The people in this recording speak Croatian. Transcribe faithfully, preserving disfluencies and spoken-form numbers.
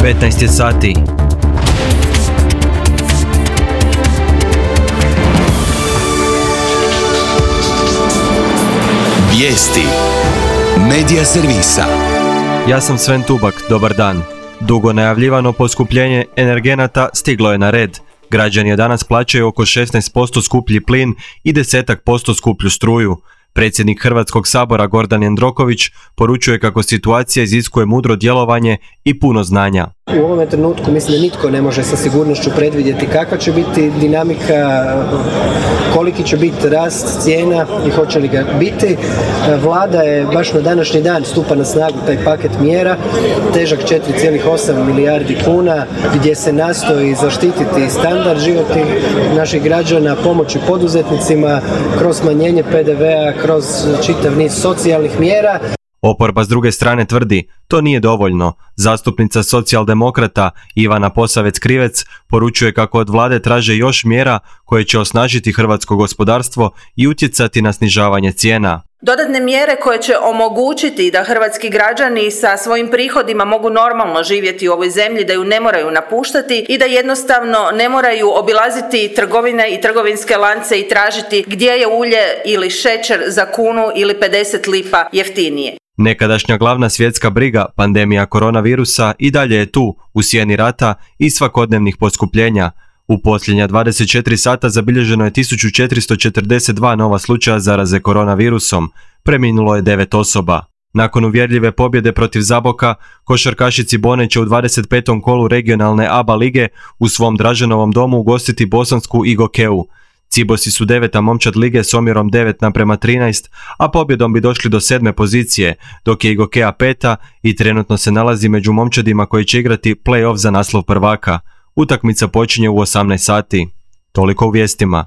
petnaest je sati. Vijesti Medija servisa. Ja sam Sven Tubak, dobar dan. Dugo najavljivano poskupljenje energenata stiglo je na red. Građani danas plaćaju oko šesnaest posto skuplji plin i deset posto skuplju struju. Predsjednik Hrvatskog sabora Gordan Jandroković poručuje kako situacija iziskuje mudro djelovanje i puno znanja. U ovome trenutku mislim da nitko ne može sa sigurnošću predvidjeti kakva će biti dinamika, koliki će biti rast cijena i hoće li ga biti. Vlada je baš na današnji dan stupa na snagu taj paket mjera, težak četiri zarez osam milijardi kuna, gdje se nastoji zaštititi standard životnih naših građana, pomoći poduzetnicima kroz smanjenje pe de vea, kroz čitav niz socijalnih mjera. Oporba s druge strane tvrdi, to nije dovoljno. Zastupnica socijaldemokrata Ivana Posavec-Krivec poručuje kako od vlade traže još mjera koje će osnažiti hrvatsko gospodarstvo i utjecati na snižavanje cijena. Dodatne mjere koje će omogućiti da hrvatski građani sa svojim prihodima mogu normalno živjeti u ovoj zemlji, da ju ne moraju napuštati i da jednostavno ne moraju obilaziti trgovine i trgovinske lance i tražiti gdje je ulje ili šećer za kunu ili pedeset lipa jeftinije. Nekadašnja glavna svjetska briga, pandemija koronavirusa, i dalje je tu, u sjeni rata i svakodnevnih poskupljenja. U posljednja dvadeset četiri sata zabilježeno je tisuću četiristo četrdeset dva nova slučaja zaraze koronavirusom, preminulo je devet osoba. Nakon uvjerljive pobjede protiv Zaboka, košarkašici Cibone će u dvadeset petom kolu regionalne A B A lige u svom Draženovom domu ugostiti bosansku Igokeu. Cibosi su deveta momčad lige s omjerom devet naprema trinaest, a pobjedom bi došli do sedme pozicije, dok je Igokea peta i trenutno se nalazi među momčadima koji će igrati play-off za naslov prvaka. Utakmica počinje u osamnaest sati. Toliko u vijestima.